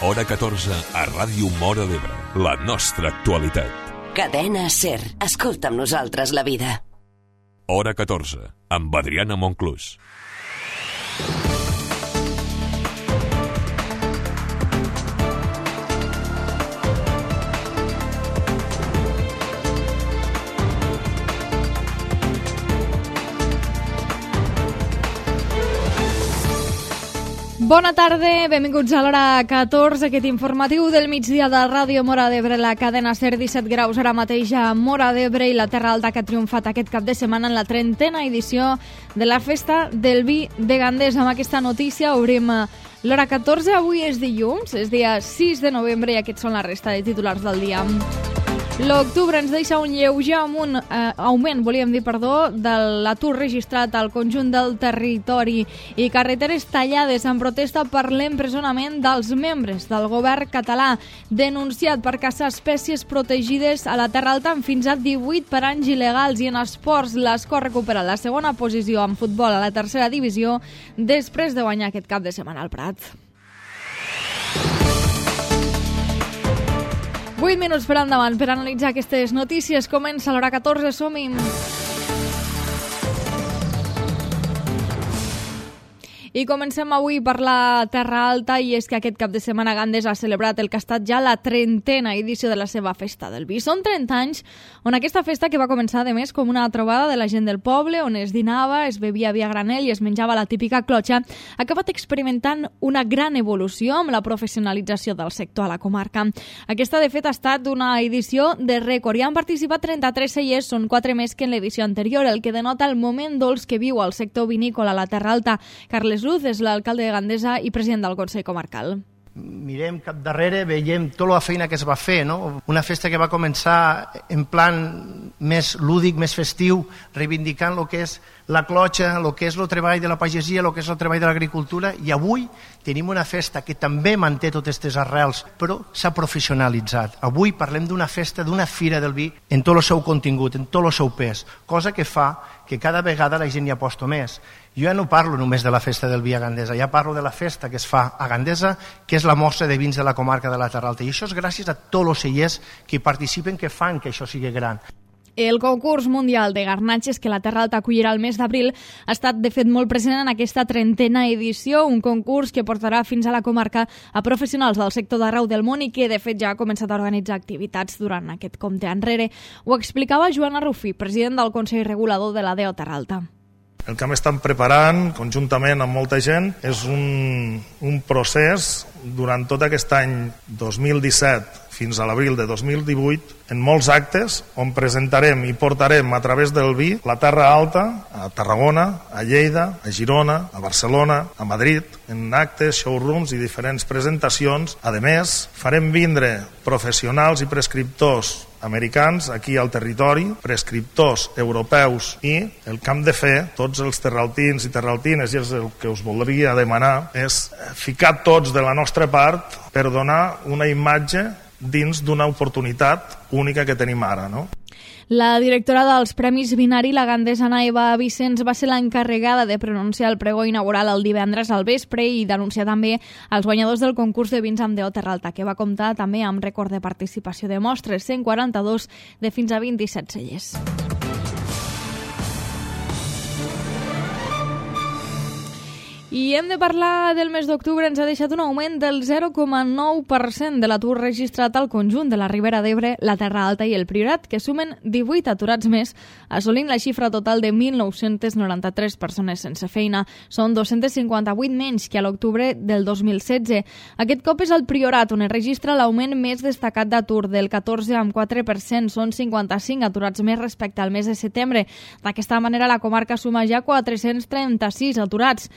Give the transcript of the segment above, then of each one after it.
Hora 14 a Ràdio Móra d'Ebre. La nostra actualitat. Cadena SER. Escolta amb nosaltres la vida. Hora 14, amb Adriana Monclús. Bona tarda, benvinguts a l'hora 14, aquest informatiu del migdia de Ràdio Móra d'Ebre, la cadena SER. 17 graus ara mateix a Móra d'Ebre i la Terra Alta, que ha triomfat aquest cap de setmana en la 30a edició de la Festa del Vi de Gandesa. Amb aquesta notícia obrim l'hora 14. Avui és dilluns, és dia 6 de novembre i aquests són la resta de titulars del dia. L'octubre ens deixa un lleuger augment, de l'atur registrat al conjunt del territori i carreteres tallades en protesta per l'empresonament dels membres del govern català, denunciat per caçar espècies protegides a la Terra Alta amb fins a 18 per anys il·legals. I en esports, l'Escó recupera la segona posició en futbol a la tercera divisió després de guanyar aquest cap de setmana al Prat. 8 minuts per endavant per analitzar aquestes notícies. Comença l'hora 14, som-hi. I comencem avui per la Terra Alta, i és que aquest cap de setmana Gandesa ha celebrat el que ha estat ja la 30a edició de la seva Festa del Vi. Són 30 anys on aquesta festa, que va començar a més com una trobada de la gent del poble, on es dinava, es bevia vi a granel i es menjava la típica clotxa, ha acabat experimentant una gran evolució amb la professionalització del sector a la comarca. Aquesta, de fet, ha estat una edició de rècord i han participat 33 cellers, són 4 més que en l'edició anterior, el que denota el moment dolç que viu el sector vinícola a la Terra Alta. Carles Luz és l'alcalde de Gandesa i president del Consell Comarcal. Mirem cap darrere, veiem tota la feina que es va fer, no? Una festa que va començar en plan més lúdic, més festiu, reivindicant el que és la clotxa, el que és el treball de la pagesia, el que és el treball de l'agricultura, i avui tenim una festa que també manté totes aquestes arrels, però s'ha professionalitzat. Avui parlem d'una festa, d'una fira del vi en tot el seu contingut, en tot el seu pes, cosa que fa que cada vegada la gent hi aposta més. Jo ja no parlo només de la festa del vi a Gandesa, ja parlo de la festa que es fa a Gandesa, que és la mostra de vins de la comarca de la Terra Alta, i això és gràcies a tots els cellers que hi participen, que fan que això sigui gran. El concurs mundial de garnatges que la Terra Alta acollirà el mes d'abril ha estat, de fet, molt present en aquesta 30a edició, un concurs que portarà fins a la comarca a professionals del sector d'arreu del món i que, de fet, ja ha començat a organitzar activitats durant aquest compte enrere. Ho explicava Joana Rufí, president del Consell Regulador de la DEO Terra Alta. El que hem estat preparant conjuntament amb molta gent és un procés durant tot aquest any 2017 fins a l'abril de 2018 en molts actes on presentarem i portarem a través del vi la Terra Alta a Tarragona, a Lleida, a Girona, a Barcelona, a Madrid, en actes, showrooms i diferents presentacions. A més, farem vindre professionals i prescriptors americans aquí al territori, prescriptors europeus, i el que hem de fer, tots els terraltins i terraltines, i és el que us voldria demanar, és ficar tots de la nostra part per donar una imatge dins d'una oportunitat única que tenim ara, no? La directora dels Premis Vinari, la gandesana Eva Vicens, va ser l'encarregada de pronunciar el pregó inaugural el divendres al vespre i d'anunciar també els guanyadors del concurs de vins amb DEO Terra Alta, que va comptar també amb rècord de participació de mostres, 142 de fins a 27 cellers. I hem de parlar del mes d'octubre. Ens ha deixat un augment del 0,9% de l'atur registrat al conjunt de la Ribera d'Ebre, la Terra Alta i el Priorat, que sumen 18 aturats més, assolint la xifra total de 1.993 persones sense feina. Són 258 menys que a l'octubre del 2016. Aquest cop és el Priorat on es registra l'augment més destacat d'atur, del 14,4%. Són 55 aturats més respecte al mes de setembre. D'aquesta manera, la comarca suma ja 436 aturats.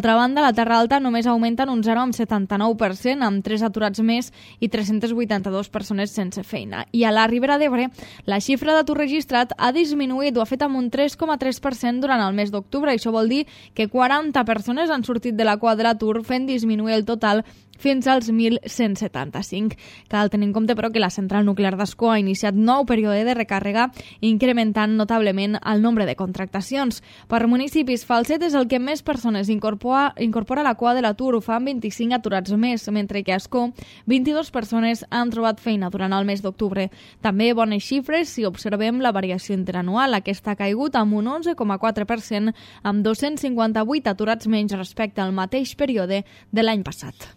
D'altra banda, la Terra Alta només augmenta en un 0,79%, amb 3 aturats més i 382 persones sense feina. I a la Ribera d'Ebre, la xifra d'atur registrat ha disminuït, ho ha fet amb un 3,3% durant el mes d'octubre. Això vol dir que 40 persones han sortit de la cua de l'atur, fent disminuir el total fins als 1.175. Cal tenir en compte, però, que la central nuclear d'Ascó ha iniciat nou període de recàrrega, incrementant notablement el nombre de contractacions. Per municipis, Falset és el que més persones incorpora a la cua de l'atur, ho fan 25 aturats més, mentre que a Ascó 22 persones han trobat feina durant el mes d'octubre. També bones xifres si observem la variació interanual. Aquesta ha caigut amb un 11,4%, amb 258 aturats menys respecte al mateix període de l'any passat.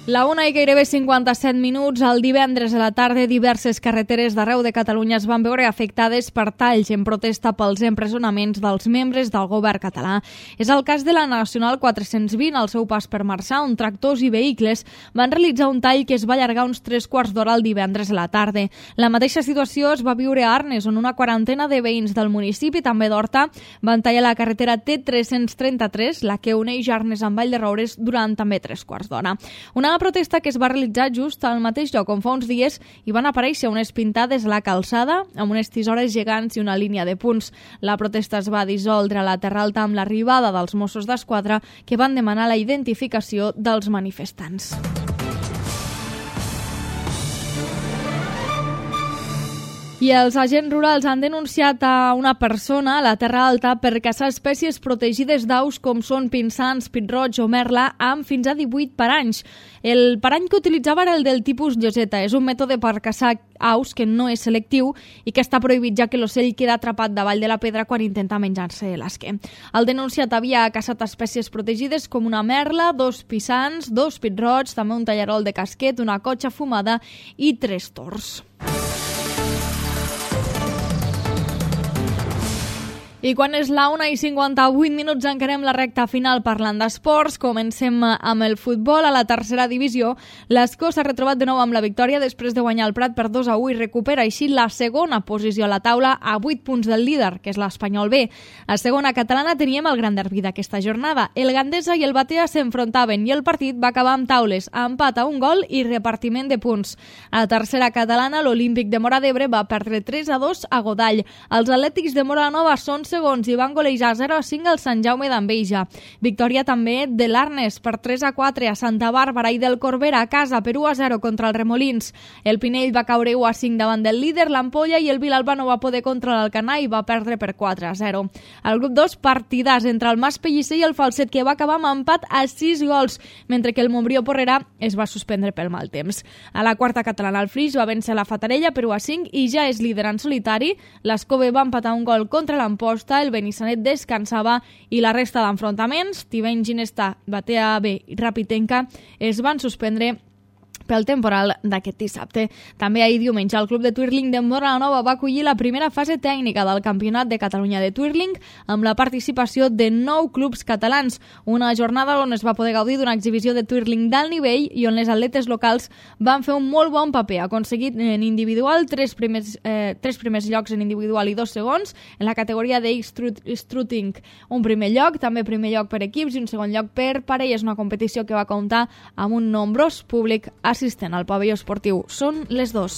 La 1 i gairebé 57 minuts. El divendres a la tarda, diverses carreteres d'arreu de Catalunya es van veure afectades per talls en protesta pels empresonaments dels membres del govern català. És el cas de la Nacional 420, al seu pas per Marçà, on tractors i vehicles van realitzar un tall que es va allargar uns 3/4 d'hora el divendres a la tarda. La mateixa situació es va viure a Arnes, on una quarantena de veïns del municipi, també d'Horta, van tallar la carretera T333, la que uneix Arnes amb Vall de Roures, durant també 3/4 d'hora. Una protesta que es va realitzar just al mateix lloc on fa uns dies hi van aparèixer unes pintades a la calçada amb unes tisores gegants i una línia de punts. La protesta es va dissoldre a la Terra Alta amb l'arribada dels Mossos d'Esquadra, que van demanar la identificació dels manifestants. I els agents rurals han denunciat a una persona a la Terra Alta per caçar espècies protegides d'aus com són pinsans, pit-roig o merla amb fins a 18 paranys. El parany que utilitzava era el del tipus lloseta. És un mètode per caçar aus que no és selectiu i que està prohibit, ja que l'ocell queda atrapat davall de la pedra quan intenta menjar-se l'esquer. El denunciat havia caçat espècies protegides com una merla, 2 pisans, 2 pit-roigs, també un tallarol de casquet, una cotxa fumada i 3 tors. I quan és la 1 i 58 minuts encarem la recta final parlant d'esports. Comencem amb el futbol. A la tercera divisió, l'Escó s'ha retrobat de nou amb la victòria després de guanyar el Prat per 2-1 i recupera així la segona posició a la taula a 8 punts del líder, que és l'Espanyol B. A segona catalana teníem el gran derbi d'aquesta jornada. El Gandesa i el Batea s'enfrontaven i el partit va acabar amb taules, empat a 1 gol i repartiment de punts. A la tercera catalana, l'Olímpic de Móra d'Ebre va perdre 3-2 a Godall. Els Atlètics de Móra Nova són segons i van golejar 0-5 al Sant Jaume d'Enveja. Victòria també de l'Arnes per 3-4 a Santa Bàrbara i del Corbera a casa per 1-0 contra els Remolins. El Pinell va caure 1-5 davant del líder, l'Ampolla, i el Vilalba no va poder contra l'Alcanar i va perdre per 4-0. Al grup 2, partidars entre el Mas Pellicer i el Falset, que va acabar amb empat a 6 gols, mentre que el Montbrió Porrera es va suspendre pel mal temps. A la quarta catalana, el Flix va vèncer la Fatarella per 1-5 i ja és líder en solitari. L'Escove va empatar un gol contra l'Amposta, el Benissanet descansava i la resta d'enfrontaments, Tiveny, Ginestà, Batea B i Rapitenca, es van suspendre pel temporal d'aquest dissabte. També ahir diumenge el Club de Twirling de Móra Nova va acollir la primera fase tècnica del Campionat de Catalunya de Twirling amb la participació de 9 clubs catalans. Una jornada on es va poder gaudir d'una exhibició de Twirling d'alt nivell i on les atletes locals van fer un molt bon paper, aconseguit en individual 3 primers llocs en individual i 2 segons, en la categoria de Strutting un primer lloc, també primer lloc per equips i un segon lloc per parelles, una competició que va comptar amb un nombrós públic assistent al pavelló esportiu. Són les 2.